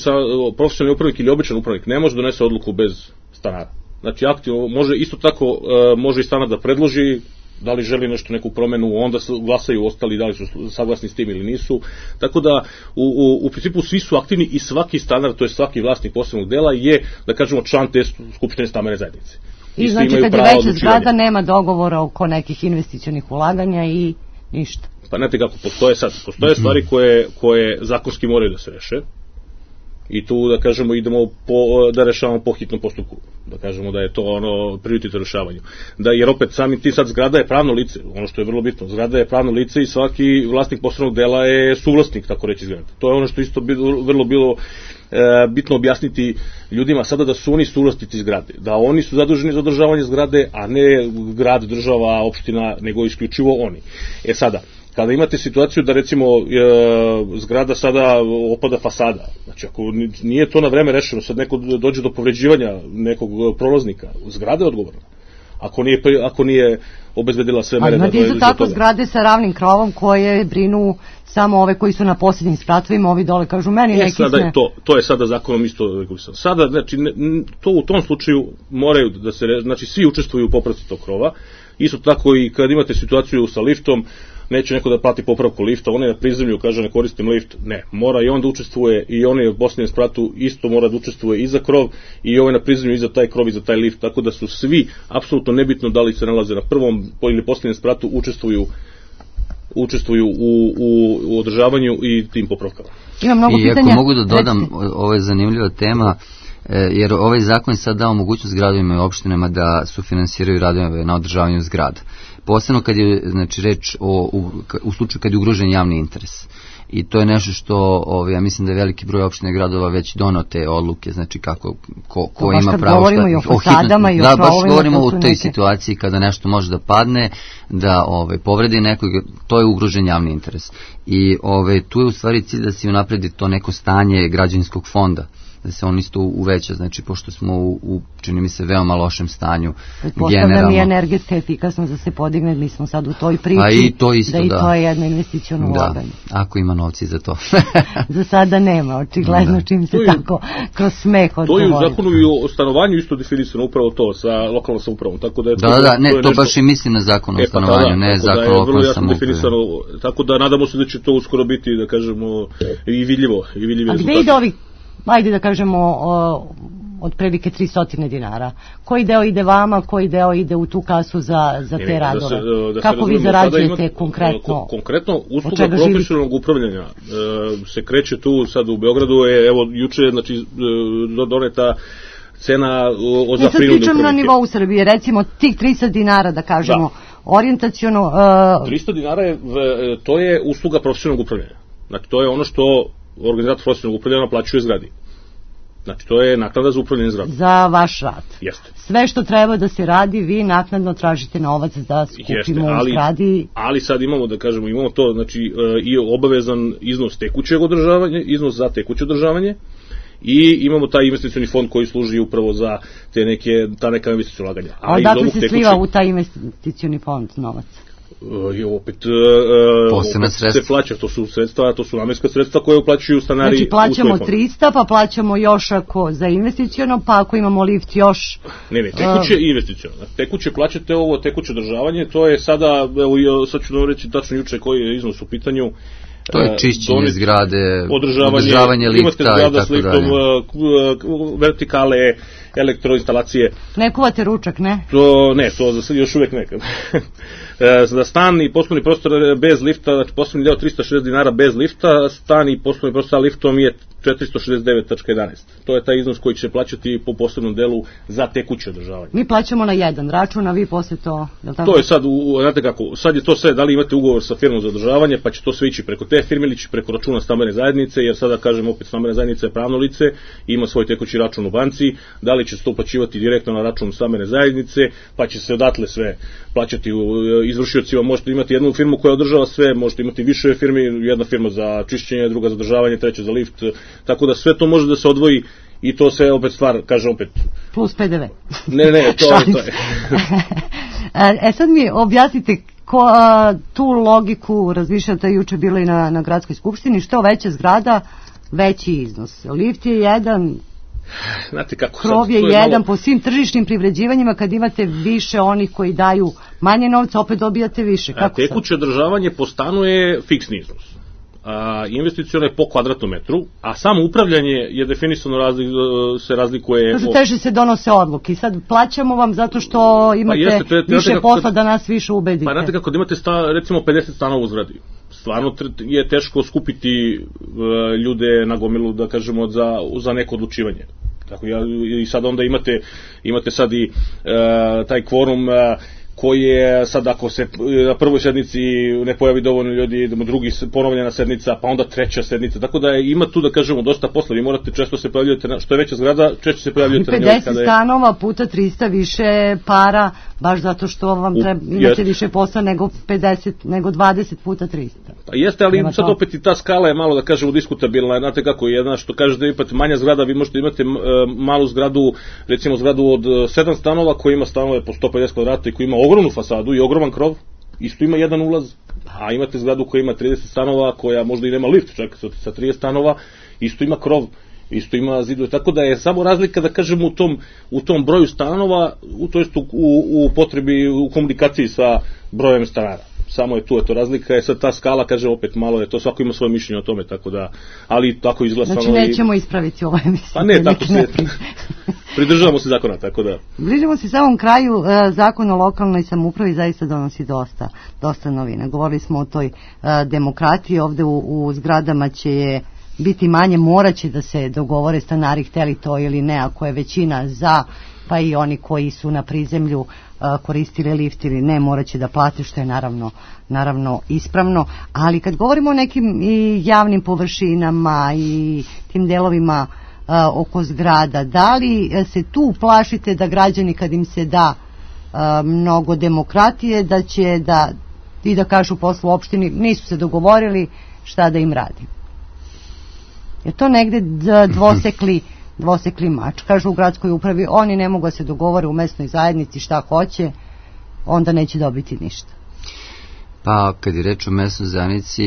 profesionalni upravnik ili običan upravnik, ne može donese odluku bez stanara. Znači aktivno, isto tako može i stanar da predloži da li želi nešto, neku promenu, onda glasaju ostali da li su saglasni s tim ili nisu. Tako da u principu svi su aktivni i svaki stanar, to je svaki vlasnik posebnog dela je, da kažemo, član te skupštine stambene zajednice.
I znači kad je veća zgrada nema dogovora oko nekih investicionih ulaganja i ništa.
Pa znate kako, postoje stvari koje zakonski moraju da se reše i tu da kažemo idemo da rešavamo po hitnom postupku, da kažemo da je to ono prioritet u rešavanju. Jer opet sami ti sad zgrada je pravno lice, ono što je vrlo bitno, zgrada je pravno lice i svaki vlasnik poslovnog dela je suvlasnik, tako reći zgrada. To je ono što isto vrlo bilo bitno objasniti ljudima sada da su oni suvlasnici zgrade, da oni su zaduženi za održavanje zgrade, a ne grad, država, opština, nego isključivo oni. Sada, kada imate situaciju da recimo zgrada sada opada fasada, znači ako nije to na vreme rešeno, sad neko dođe do povređivanja nekog prolaznika, zgrada je odgovorna. Ako nije obezbedila sve mere.
Imate isto tako zgrade sa ravnim krovom koje brinu samo ove koji su na posljednjim spratovima, ovi dole kažu meni neki sme.
To je sada zakonom isto regulisano. Sada, znači, to u tom slučaju moraju da se, znači svi učestvuju u popravci tog krova, isto tako i kad imate situaciju sa liftom, neće neko da plati popravku lifta, on je na prizemlju, kaže ne koristim lift, ne, mora i on da učestvuje i on je u posljednjem spratu isto mora da učestvuje i za krov i ovaj na prizemlju i za taj krov i za taj lift, tako da su svi, apsolutno nebitno da li se nalaze na prvom ili posljednjem spratu, učestvuju u održavanju i tim popravkama.
I ako mogu da dodam, ovo je zanimljiva tema, jer ovaj zakon sad dao mogućnost gradovima i opštinama da sufinansiraju radove na održavanju zgrada. Posebno kad je, znači, reč u slučaju kad je ugrožen javni interes. i to je nešto što ja mislim da je veliki broj opština i gradova već doneo te odluke, znači kako ko ima pravo
govorimo i o fasadama i o
da, baš govorimo o toj situaciji kada nešto može da padne, da povredi nekog, to je ugrožen javni interes. I tu je u stvari cilj da se unapredi to neko stanje građevinskog fonda, da se on isto uveća, znači pošto smo u čini mi se veoma lošem stanju generalno.
Postavljam i energetska efikasnost da se podigne, mi smo sad u toj priči,
i to isto,
da i to je jedno investiciono ulaganje.
Ako ima novci za to.
Za sada nema, očigledno, čim se tako kroz smeh odgovori.
To je u zakonu i o stanovanju isto definisano, upravo to, sa lokalnom samoupravom. Tako da je
to baš i mislim na zakon o stanovanju, ne zakon o lokalnom samoupravi.
Tako da nadamo se da će to uskoro biti, da kažemo, i vidljivo.
A gde ide ovih, ajde da kažemo, otprilike 300 dinara. Koji deo ide vama, koji deo ide u tu kasu za te radove? Kako vi zarađujete konkretno?
Konkretno, usluga profesionalnog upravljanja se kreće tu sad u Beogradu, evo juče, znači, doneta cena za prinudne upravnike.
Mi sad pričamo na nivou Srbije, recimo tih 300 dinara, da kažemo, orijentaciono...
300 dinara to je usluga profesionalnog upravljanja. Znači, to je ono što organizator profesionalnog upravljanja naplaćuje zgradi. Znači, to je naknada za upravljanje zgradom.
Za vaš rad.
Jeste.
Sve što treba da se radi, vi naknadno tražite novac da skupimo u zgradi.
Ali sad imamo, da kažemo, imamo to, znači, i obavezan iznos tekućeg održavanja, iznos za tekuće održavanje, i imamo taj investicioni fond koji služi upravo za ta neka investiciona ulaganja.
A odakle se sliva u taj investicioni fond novac?
Opet se plaća, to su sredstva, to su namenska sredstva koje uplaćuju stanari.
Znači plaćamo 300, pa plaćamo još ako za investiciono, pa ako imamo lift još...
Ne, tekuće i investiciono. Tekuće plaćate ovo, tekuće održavanje, to je sada, evo sad ću vam reći tačno juče koji je iznos u pitanju.
To je čišćenje zgrade, održavanje lifta i tako dalje.
Vertikale, elektroinstalacije.
Ne kuvate ručak, ne?
To još uvek nekad. Za stan i poslovni prostor bez lifta, znači poslovni deo 360 dinara bez lifta, stan i poslovni prostor sa liftom je 469,11. To je taj iznos koji će se plaćati po posebnom delu za tekuće održavanje.
Mi plaćamo na jedan račun, a vi posle to...
To je sad, znate kako, sad je to sve, da li imate ugovor sa firmom za održavanje, pa će to sve ići preko te firme ili ići preko računa stambene zajednice, jer sada, kažem, opet stambena zajednica je pravno lice, ima svoj tekući račun u banci, da li će se to uplaćivati direktno na račun stambene zajednice, pa će se odatle sve plaćati izvršiocima. Možete imati jednu firmu koja održava sve, možete imati više firmi, jedna firma za čišćenje, druga za održavanje, treća za lift, tako da sve to može da se odvoji i to sve opet stvar, kažem opet...
Plus PDV.
Ne, to je.
Sad mi objasnite tu logiku, razmišljate, juče bilo i na gradskoj skupštini, što veća zgrada, veći iznos. Lift je jedan... krov je jedan, po svim tržišnim privređivanjima, kad imate više onih koji daju manje novca, opet dobijate više.
Tekuće održavanje po stanu je fiksni iznos. Investicione po kvadratnom metru, a samo upravljanje je definisano, se razlikuje...
Kažu, teže se donose odluke i sad plaćamo vam zato što imate više posla da nas više ubedite.
Pa znate kako, da imate recimo 50 stanova u zgradi, stvarno je teško skupiti ljude na gomilu, da kažemo, za neko odlučivanje. Tako, i sad onda imate sad i taj kvorum koji je sad, ako se na prvoj sednici ne pojavi dovoljno ljudi, idemo drugi ponovljena sednica, pa onda treća sednica, tako da ima tu, da kažemo, dosta posla. Vi morate često se pojavljujete, što je veća zgrada, češće se pojavljujete na njoj.
50 stanova puta 300 više para, baš zato što vam imate više posla nego 20 puta 300.
Pa jeste, ali sad opet i ta skala je malo, da kažemo, diskutabilna. Znate kako je, što kažete, imate manja zgrada, vi možete imati malu zgradu, recimo zgradu od 7 stanova koji ima stanove po 150 kvadrata i koji ima ogromnu fasadu i ogroman krov, isto ima jedan ulaz, a imate zgradu koja ima 30 stanova, koja možda i nema lift, čak sa 30 stanova, isto ima krov, isto ima zidove, tako da je samo razlika, da kažemo, u tom broju stanova, to jest u potrebi, u komunikaciji sa brojem stanara. Samo je tu to razlika, je sad ta skala, kaže, opet malo je to, svako ima svoje mišljenje o tome, tako da, ali tako izgleda.
Znači nećemo ispraviti ovo emisiju.
Pa ne, tako se, pridržavamo se zakona, tako da.
Bližimo se samom kraju, zakon o lokalnoj samoupravi zaista donosi dosta novina. Govorili smo o toj demokratiji, ovde u zgradama će je biti manje, morat će da se dogovore stanari, hteli to ili ne, ako je većina za pa i oni koji su na prizemlju koristili lift ili ne, morat će da plate, što je naravno ispravno. Ali kad govorimo o nekim i javnim površinama i tim delovima oko zgrada, da li se tu plašite da građani, kad im se da mnogo demokratije, da će da kažu posle u opštini nisu se dogovorili šta da im radi? Je to negde dvosekli mač? Kažu u gradskoj upravi, oni ne mogu da se dogovore u mesnoj zajednici šta hoće, onda neće dobiti ništa.
Pa kad je reč o mesnoj zajednici,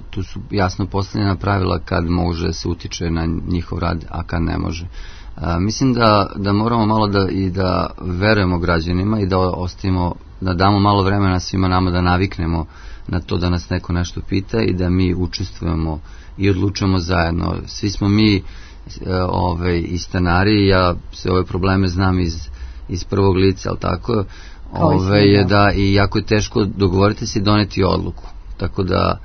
tu su jasno postavljena pravila kad može da se utiče na njihov rad, a kad ne može. Mislim da moramo malo da verujemo građanima i da ostavimo, da damo malo vremena svima nama da naviknemo na to da nas neko nešto pita i da mi učestvujemo i odlučujemo zajedno. Svi smo mi i stanari, ja sve ove probleme znam iz prvog lica, ali tako da i jako je teško dogovoriti se i doneti odluku. Tako da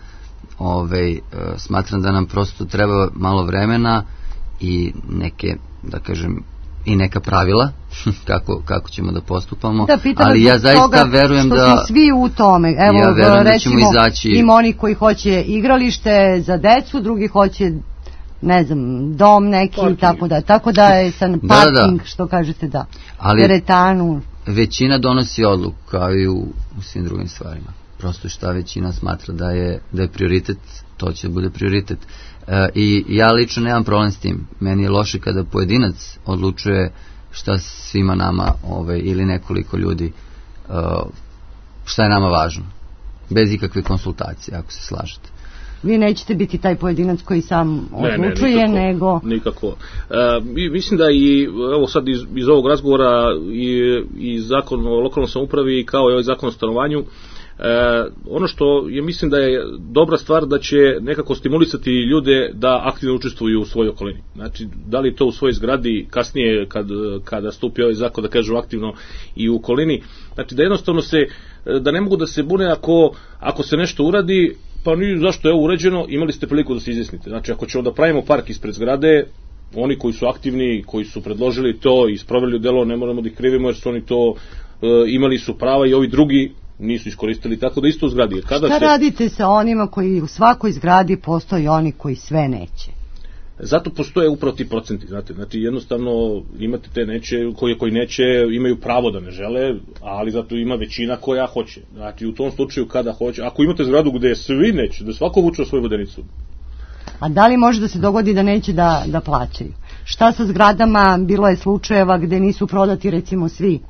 smatram da nam prosto treba malo vremena i neke, da kažem, i neka pravila kako ćemo da postupamo, ali ja zaista verujem da
što svi u tome, evo
ja verujem
recimo
da ćemo izaći.
Ima oni koji hoće igralište za decu, drugi hoće, ne znam, dom neki, tako da je san parking, što kažete, teretanu.
Većina donosi odluku, kao i u svim drugim stvarima. Prosto šta većina smatra da je prioritet, to će bude prioritet. I ja lično nemam problem s tim. Meni je loše kada pojedinac odlučuje šta svima nama ili nekoliko ljudi šta je nama važno. Bez ikakve konsultacije, ako se slažete.
Vi nećete biti taj pojedinac koji sam odlučuje, nego...
Nikako. Mislim da i, evo sad iz ovog razgovora i zakon o lokalnoj samoupravi kao i ovaj zakon o stanovanju, ono što je, mislim da je dobra stvar, da će nekako stimulisati ljude da aktivno učestvuju u svojoj okolini. Znači, da li to u svojoj zgradi, kasnije kada stupi ovaj zakon, da kažu aktivno i u okolini. Znači, da jednostavno da ne mogu da se bune ako se nešto uradi, pa zašto je ovo urađeno, imali ste priliku da se izjasnite. Znači, ako ćemo da pravimo park ispred zgrade, oni koji su aktivni, koji su predložili to i sproveli u delo, ne moramo da ih krivimo jer su oni to imali su prava i ovi drugi nisu iskoristili, tako da isto u zgradi.
Šta radite sa onima koji u svakoj zgradi postoji oni koji sve neće?
Zato postoje upravo ti procenti, znate, znači jednostavno imate te neće, koji neće, imaju pravo da ne žele, ali zato ima većina koja hoće. Znači u tom slučaju kada hoće, ako imate zgradu gde svi neće, da svako vuče svoju vodenicu.
A da li može da se dogodi da neće da plaćaju? Šta sa zgradama? Bilo je slučajeva gde nisu prodati recimo svi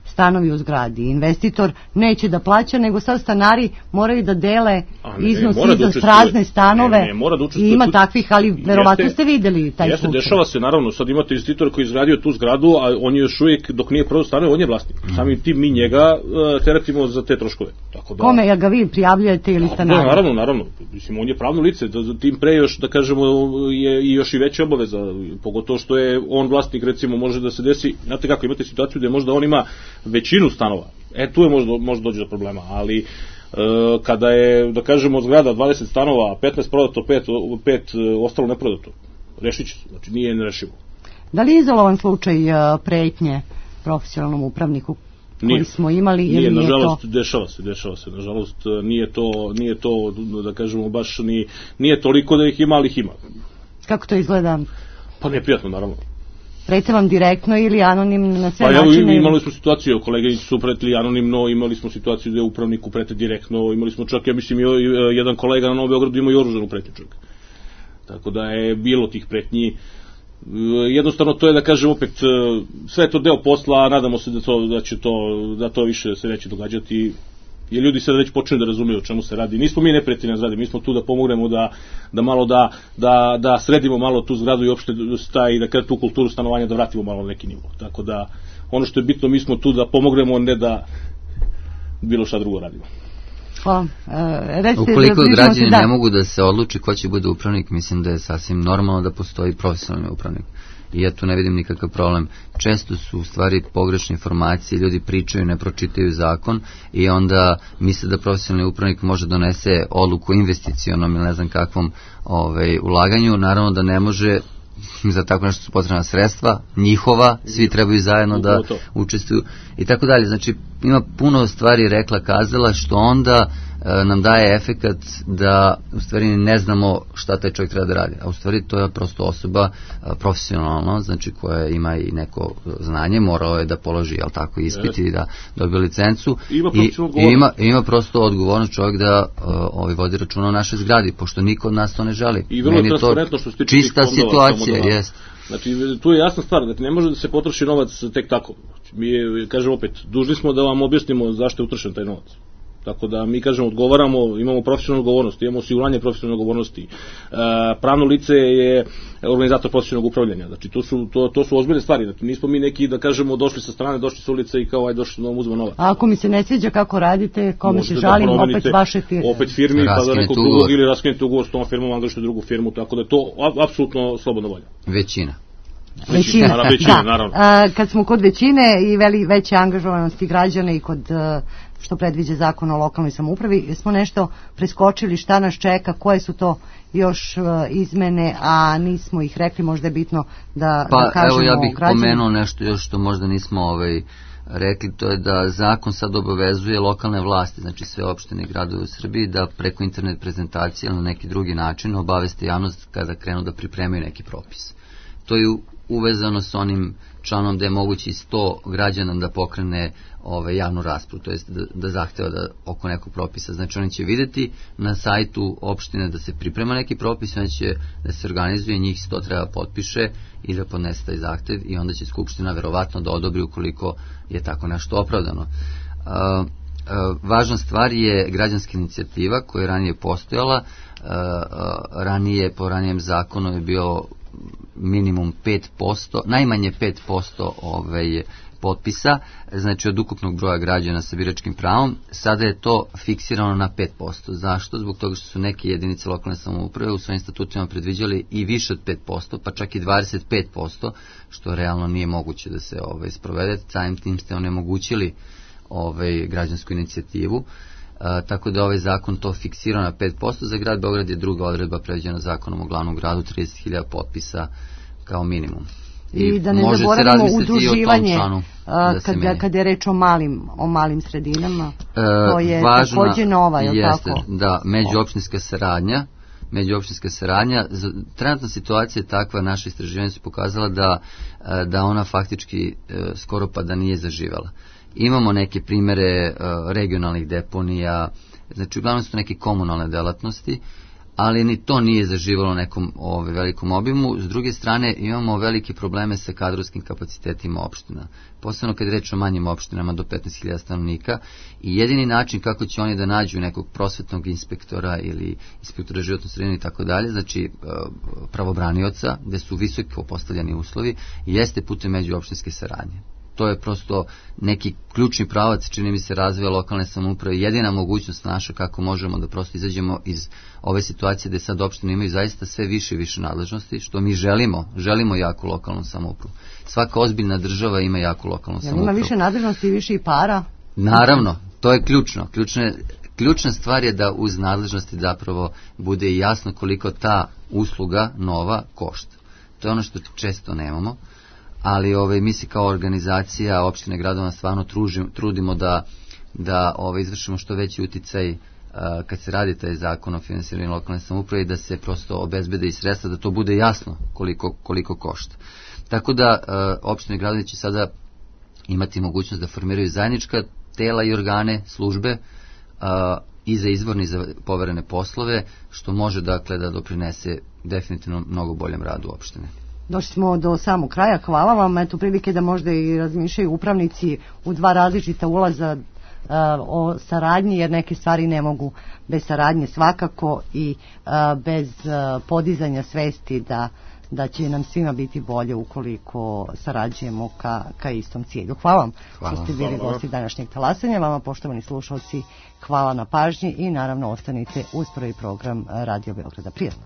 stanovi u zgradi. Investitor neće da plaća, nego sad stanari moraju da dele iznos za prazne stanove. I ima takvih, ali verovatno ste videli taj slučaj.
Dešava se, naravno, sad imate investitora koji je izgradio tu zgradu, a on je još uvijek, dok nije prodao stanove, on je vlasnik. Samim tim mi njega teretimo za te troškove.
Kome, ja ga vi prijavljujete ili stanari?
Naravno. Mislim, on je pravno lice, tim pre još, da kažemo, je još i veća obaveza, pogotovo što je on vlasnik, recimo, može da se desi, znate kako, imate situaciju gde možda on ima većinu stanova, tu je možda dođe do problema, ali kada je, da kažemo, od zgrada 20 stanova, 15 prodato, 5 ostalo neprodato, rešit će se, znači nije nerešivo.
Da li je izolovan slučaj pretnje profesionalnom upravniku koji smo imali ili nije to?
Nažalost, dešava se, nažalost nije to, da kažemo, baš nije toliko da ih ima, ali ih ima.
Kako to izgleda?
Pa neprijatno, naravno.
Prete vam direktno ili anonimno na sve načine?
Pa imali smo situaciju, kolege su pretili anonimno, imali smo situaciju gde upravniku prete direktno, imali smo čak, ja mislim, jedan kolega na Novom Beogradu imao i oružanu pretnju čak. Tako da je bilo tih pretnji. Jednostavno to je, da kažem, opet sve je to deo posla, a nadamo se da to više se neće događati, jer ljudi sad već počinju da razumiju o čemu se radi. Nismo mi neprijatelji na zgradi, mi smo tu da pomognemo da malo da sredimo malo tu zgradu i uopšte da tu kulturu stanovanja da vratimo malo na neki nivo. Tako da ono što je bitno, mi smo tu da pomognemo, ne da bilo šta drugo radimo.
Ukoliko građani ne mogu da se odluči ko će bude upravnik, mislim da je sasvim normalno da postoji profesionalni upravnik. I ja tu ne vidim nikakav problem. Često su u stvari pogrešne informacije, ljudi pričaju, ne pročitaju zakon i onda misle da profesionalni upravnik može donese odluku investicionom ili ne znam kakvom ulaganju. Naravno da ne može za tako nešto su potrebna sredstva, njihova, svi trebaju zajedno da učestvuju i tako dalje. Znači, ima puno stvari rekla, kazala, što onda nam daje efekat da u stvari ne znamo šta taj čovjek treba da radi. A u stvari to je prosto osoba profesionalno, znači koja ima i neko znanje, morao je da položi, jel tako, ispit i da dobije licencu i ima prosto odgovornost čovjek da vodi računa o našoj zgradi, pošto niko od nas to ne želi.
I vrlo transparentno što se tiče
čista situacija, jest.
Znači, tu je jasna stvar, znači ne može da se potroši novac tek tako. Mi, kažem opet, dužni smo da vam objasnimo zašto je utrošen taj novac. Tako da mi, kažemo, odgovaramo, imamo profesionalnu odgovornost, imamo osiguranje profesionalne odgovornosti. Pravno lice je organizator profesionalnog upravljanja. Znači, to su ozbiljne stvari. Znači, nismo mi neki, da kažemo, došli sa strane, došli sa ulice i kao, došli da vam uzme novac.
A ako mi se ne sviđa kako radite, kome se žalim, opet vaše firme.
Opet firmi, pa da nekog drugog, ili raskinete ugovor s tom firmom, angažujete drugu firmu, tako da je to apsolutno slobodna volja.
Većina,
naravno.
Kad smo kod većine i veće angažovanosti građana i kod što predviđa zakon o lokalnoj samoupravi, smo nešto preskočili šta nas čeka, koje su to još izmene, a nismo ih rekli, možda je bitno da kažemo građanima.
Evo ja bih pomenuo nešto još što možda nismo rekli, to je da zakon sad obavezuje lokalne vlasti, znači sve opštine i gradove u Srbiji, da preko internet prezentacije ili na neki drugi način obaveste javnost kada krenu da pripremaju neki propis. To je uvezano s onim članom da je moguće 100 građana da pokrene javnu raspravu, to jest da zahteva da oko nekog propisa. Znači oni će vidjeti na sajtu opštine da se priprema neki propis, onda će da se organizuje, njih 100 treba potpiše i da podnese taj zahtev i onda će Skupština verovatno da odobri ukoliko je tako nešto opravdano. Važna stvar je građanska inicijativa koja je ranije postojala, ranije po ranijem zakonu je bio minimum 5%, najmanje 5% potpisa, znači od ukupnog broja građana sa biračkim pravom. Sada je to fiksirano na 5%. Zašto? Zbog toga što su neke jedinice lokalne samouprave u svojim statutima predviđali i više od 5%, pa čak i 25%, što realno nije moguće da se sprovede. Samim tim ste onemogućili građansku inicijativu. Tako da ovaj zakon to fiksira na 5%. Za grad Beograd je druga odredba predviđena zakonom o glavnom gradu, 30.000 potpisa kao minimum.
I da ne zaboravimo udruživanje kada je reč o malim sredinama, to je također nova, je li tako?
Da, međuopštinska saradnja. Trenutna situacija je takva, naše istraživanje su pokazala da ona faktički skoro pa da nije zaživela. Imamo neke primere regionalnih deponija, znači uglavnom su neke komunalne delatnosti, ali ni to nije zaživalo u nekom velikom obimu. S druge strane imamo velike probleme sa kadrovskim kapacitetima opština, posebno kad je reč o manjim opštinama do 15.000 stanovnika, i jedini način kako će oni da nađu nekog prosvetnog inspektora ili inspektora životne sredine i tako dalje, znači pravobranioca, gde su visoko postavljeni uslovi, jeste putem međuopštinske saradnje. To je prosto neki ključni pravac, čini mi se, razvoja lokalne samouprave, jedina mogućnost naša kako možemo da prosto izađemo iz ove situacije gde sad opštine imaju zaista sve više i više nadležnosti, što mi želimo jaku lokalnu samoupravu. Svaka ozbiljna država ima jaku lokalnu samoupravu.
Ima više nadležnosti i više i para?
Naravno, to je ključno. Ključna stvar je da uz nadležnosti zapravo bude jasno koliko ta usluga nova košta. To je ono što često nemamo. Ali mi se kao organizacija opštine gradova stvarno trudimo da izvršimo što veći uticaj kad se radi taj zakon o finansiranju lokalne samouprave i da se prosto obezbede i sredstva, da to bude jasno koliko košta. Tako da opštine gradovi će sada imati mogućnost da formiraju zajednička tela i organe, službe i za izvorni i za poverene poslove, što može dakle da doprinese definitivno mnogo boljem radu opštine.
Došli smo do samog kraja, hvala vam. Eto prilike da možda i razmišljaju upravnici u dva različita ulaza o saradnji, jer neke stvari ne mogu bez saradnje svakako i bez podizanja svesti da će nam svima biti bolje ukoliko sarađujemo ka istom cilju. Hvala vam što ste bili gosti današnjeg talasanja. Vama, poštovani slušalci, hvala na pažnji i naravno ostanite uz prvi program Radio Beograda. Prijatno.